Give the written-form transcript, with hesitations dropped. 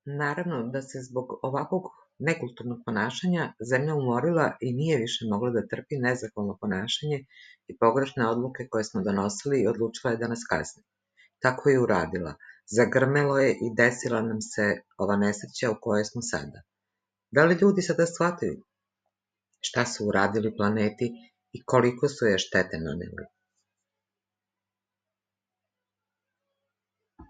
Naravno da se zbog ovakvog nekulturnog ponašanja zemlja umorila i nije više mogla da trpi nezahvalno ponašanje i pogrešne odluke koje smo donosili i odlučila je da nas kazni. Tako je i uradila. Zagrmelo je i desila nam se ova nesreća u kojoj smo sada. Da li ljudi sada shvataju šta su uradili planeti i koliko su je štete naneli?